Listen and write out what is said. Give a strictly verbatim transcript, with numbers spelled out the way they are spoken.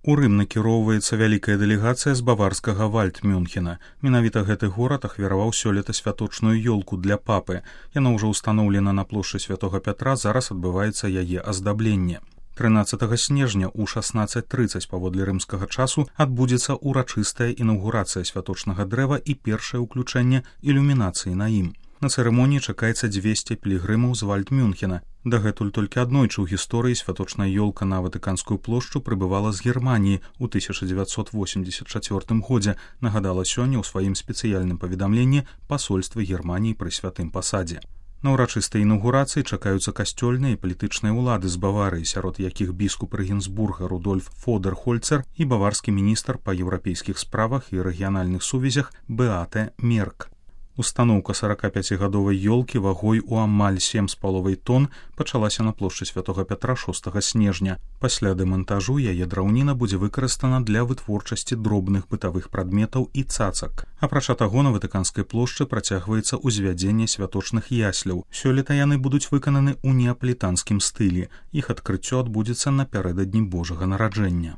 У Рым накіроўваецца вялікая дэлегацыя з баварскага Вальдмюнхена. Менавіта гэты горад ахвяраваў сёлета святочную ёлку для папы. Яна ўжо ўстаноўлена на плошчы Святога Пятра, зараз адбываецца яе аздабленне. трынаццатага снежня ў шаснаццаць трыццаць паводле рымскага часу адбудзецца ўрачыстая інаўгурацыя святочнага дрэва і першае ўключэнне ілюмінацыі на ім. На цырымоніі чакаецца дзвесце пілігрымаў з Вальдмюнхена. Дагэтуль толькі аднойчы ў гісторыі святочная ёлка на Ватыканскую плошчу прыбывала з Германіі ў тысяча дзевяцьсот восемьдесят чацвёртым годзе, нагадала сёння ў сваім спецыяльным паведамленні пасольства Германіі пры святым пасадзе. На ўрачыстай інаўгурацыі чакаюцца касцёльныя і палітычныя ўлады з Баварыі, сярод якіх біскуп Рэгенсбурга Рудольф Фодерхольцер і баварскі міністр па еўрапейскіх справах і рэгіянальных сувязях Беате Мерк. Устаноўка сорокапяцігадовай ёлкі вагой у амаль сем з паловай тонн пачалася на плошчы Святога Пятра шостага снежня. Пасля дэмантажу яе драўніна будзе выкарыстана для вытворчасці дробных бытавых прадметаў і цацак. Апрача таго, на Ватыканскай плошчы працягваецца ўзвядзенне святочных ясляў. Сёлета яны будуць выкананы ў неаполітанскім стылі. Іх адкрыццё адбудзецца напярэдадні Божага нараджэння.